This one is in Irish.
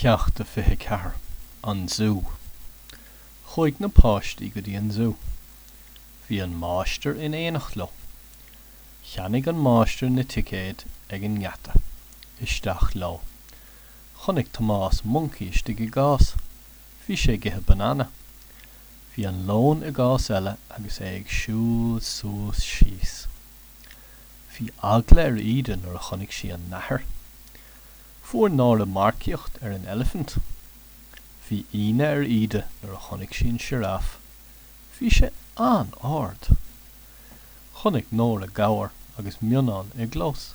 Ceacht a 24, An Zú Chuaigh na páistí go dtí an zú. Bhí an máistir in éineacht leo. Cheannaigh an máistir na ticéid ag an ngeata. Isteach leo. Chonaic Tomás moncaí istigh i gcás. Bhí sé ag ithe banana. Bhí an leon i gcás eile agus é ag siúl suas síos. Bhí eagla ar Íde nuair a chonaic sí an nathair. Fuair Nóra marcaíocht ar an eilifint. Bhí ionadh ar Íde nuair a chonaic sí an sioráf. Bhí sé an-ard! Chonaic Nóra gabhar agus mionnán i gclós.